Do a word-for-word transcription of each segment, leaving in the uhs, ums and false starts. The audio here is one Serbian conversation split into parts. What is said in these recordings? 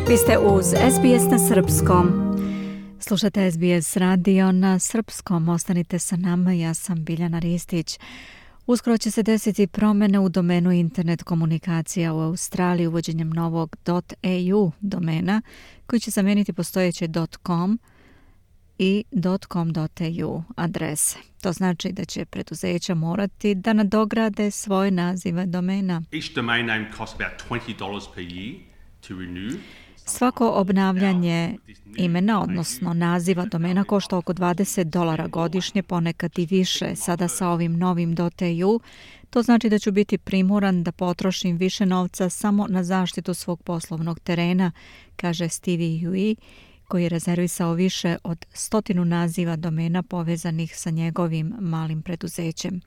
Vi ste uz S B S na srpskom. Slušate S B S radio na srpskom. Ostanite sa nama, ja sam Biljana Ristić. Uskoro će se desiti promjene u domenu internet komunikacija u Australiji uvođenjem novog .au domena koji će zamijeniti postojeće .com i .com.au adrese. To znači da će preduzeća morati da nadograde svoje nazive domena. Each domain name costs about twenty dollars per year to renew. Svako obnavljanje imena, odnosno naziva domena, košta oko dvadeset dolara godišnje, ponekad i više. Sada sa ovim novim .au, to znači da ću biti primoran da potrošim više novca samo na zaštitu svog poslovnog terena, kaže Stevie Hui, koji je rezervisao više od stotinu naziva domena povezanih sa njegovim malim preduzećem.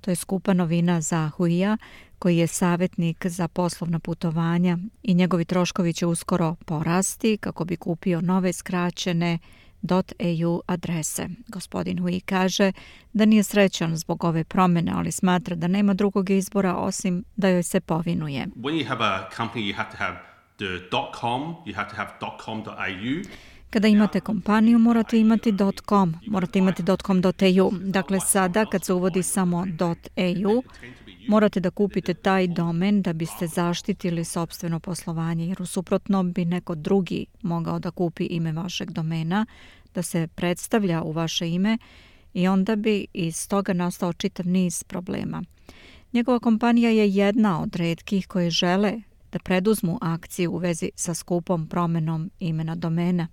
To je skupa novina za Huija, koji je savjetnik za poslovna putovanja i njegovi troškovi će uskoro porasti kako bi kupio nove skraćene .au adrese. Gospodin Hui kaže da nije srećan zbog ove promjene, ali smatra da nema drugog izbora osim da joj se povinuje. When you have a company, you have to have the .com, you have to have .com.au. Kada imate kompaniju, morate imati .com, morate imati .com.au. Dakle, sada kad se uvodi samo .au, morate da kupite taj domen da biste zaštitili sopstveno poslovanje, jer u suprotnom bi neko drugi mogao da kupi ime vašeg domena, da se predstavlja u vaše ime i onda bi iz toga nastao čitav niz problema. Njegova kompanija je jedna od retkih koje žele da preduzmu akciju u vezi sa skupom promjenom imena domena.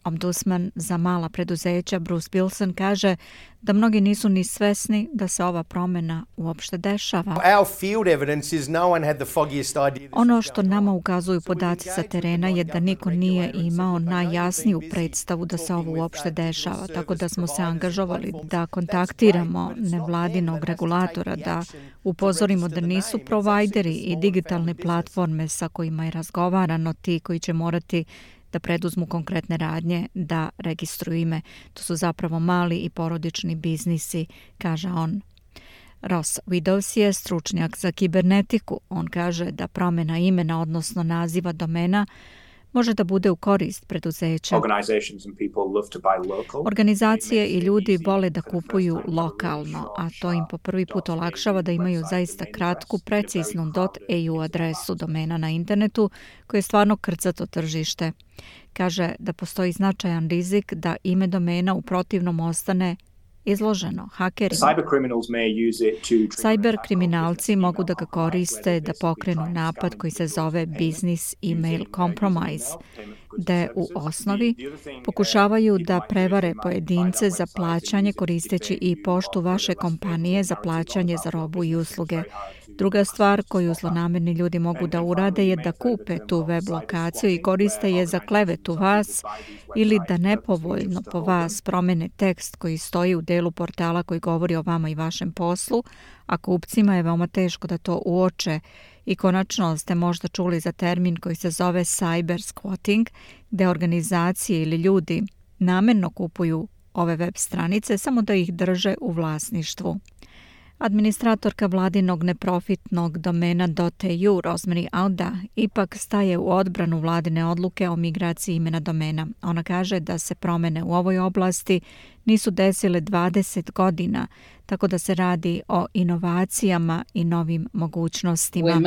Ombudsman za mala preduzeća Bruce Bilson kaže da mnogi nisu ni svesni da se ova promjena uopšte dešava. Ono što nama ukazuju podaci sa terena je da niko nije imao najjasniju predstavu da se ovo uopšte dešava, tako da smo se angažovali da kontaktiramo nevladinog regulatora, da upozorimo da nisu provajderi i digitalne platforme sa kojima je razgovarano ti koji će morati da preduzmu konkretne radnje da registruju ime. To su zapravo mali i porodični biznisi, kaže on. Ross Widows je stručnjak za kibernetiku. On kaže da promjena imena, odnosno naziva domena, može da bude u korist preduzeća. Organizacije i ljudi vole da kupuju lokalno, a to im po prvi put olakšava da imaju zaista kratku, preciznu .au adresu domena na internetu, koje je stvarno krcato tržište. Kaže da postoji značajan rizik da ime domena u protivnom ostane izloženo hakerima. Cyber kriminalci mogu da ga koriste da pokrenu napad koji se zove Business Email Compromise, gde u osnovi pokušavaju da prevare pojedince za plaćanje koristeći i poštu vaše kompanije za plaćanje za robu i usluge. Druga stvar koju zlonamerni ljudi mogu da urade je da kupe tu web lokaciju i koriste je za klevetu vas ili da nepovoljno po vas promene tekst koji stoji u delu portala koji govori o vama i vašem poslu, a kupcima je veoma teško da to uoče. I konačno ste možda čuli za termin koji se zove cyber squatting, gde organizacije ili ljudi namerno kupuju ove web stranice samo da ih drže u vlasništvu. Administratorka vladinog neprofitnog domena .au Rosemary Auda ipak staje u odbranu vladine odluke o migraciji imena domena. Ona kaže da se promjene u ovoj oblasti nisu desile dvadeset godina, tako da se radi o inovacijama i novim mogućnostima.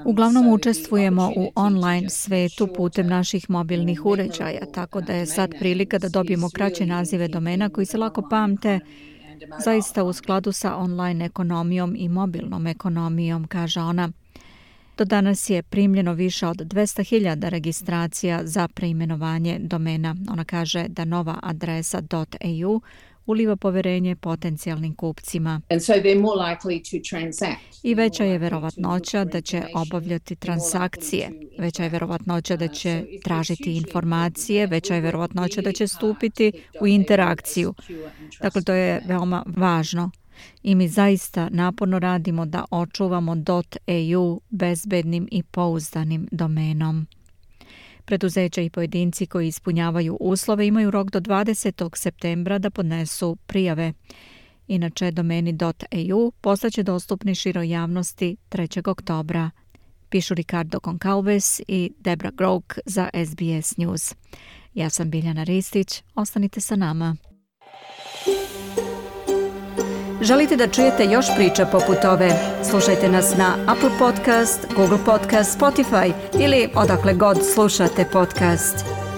Uglavnom učestvujemo u online svetu putem naših mobilnih uređaja, tako da je sad prilika da dobijemo kraće nazive domena koji se lako pamte, zaista u skladu sa online ekonomijom i mobilnom ekonomijom, kaže ona. Do danas je primljeno više od dvesta hiljada registracija za preimenovanje domena. Ona kaže da nova adresa .au uliva poverenje potencijalnim kupcima. I veća je verovatnoća da će obavljati transakcije, veća je verovatnoća da će tražiti informacije, veća je verovatnoća da će stupiti u interakciju. Dakle, to je veoma važno. I mi zaista naporno radimo da očuvamo .au bezbednim i pouzdanim domenom. Preduzeća i pojedinci koji ispunjavaju uslove imaju rok do dvadesetog septembra da podnesu prijave. Inače, domeni .eu postaće dostupni široj javnosti trećeg oktobra. Pišu Ricardo Goncalves i Debra Groke za S B S News. Ja sam Biljana Ristić, ostanite sa nama. Želite da čujete još priča poput ove? Slušajte nas na Apple Podcast, Google Podcast, Spotify ili odakle god slušate podcast.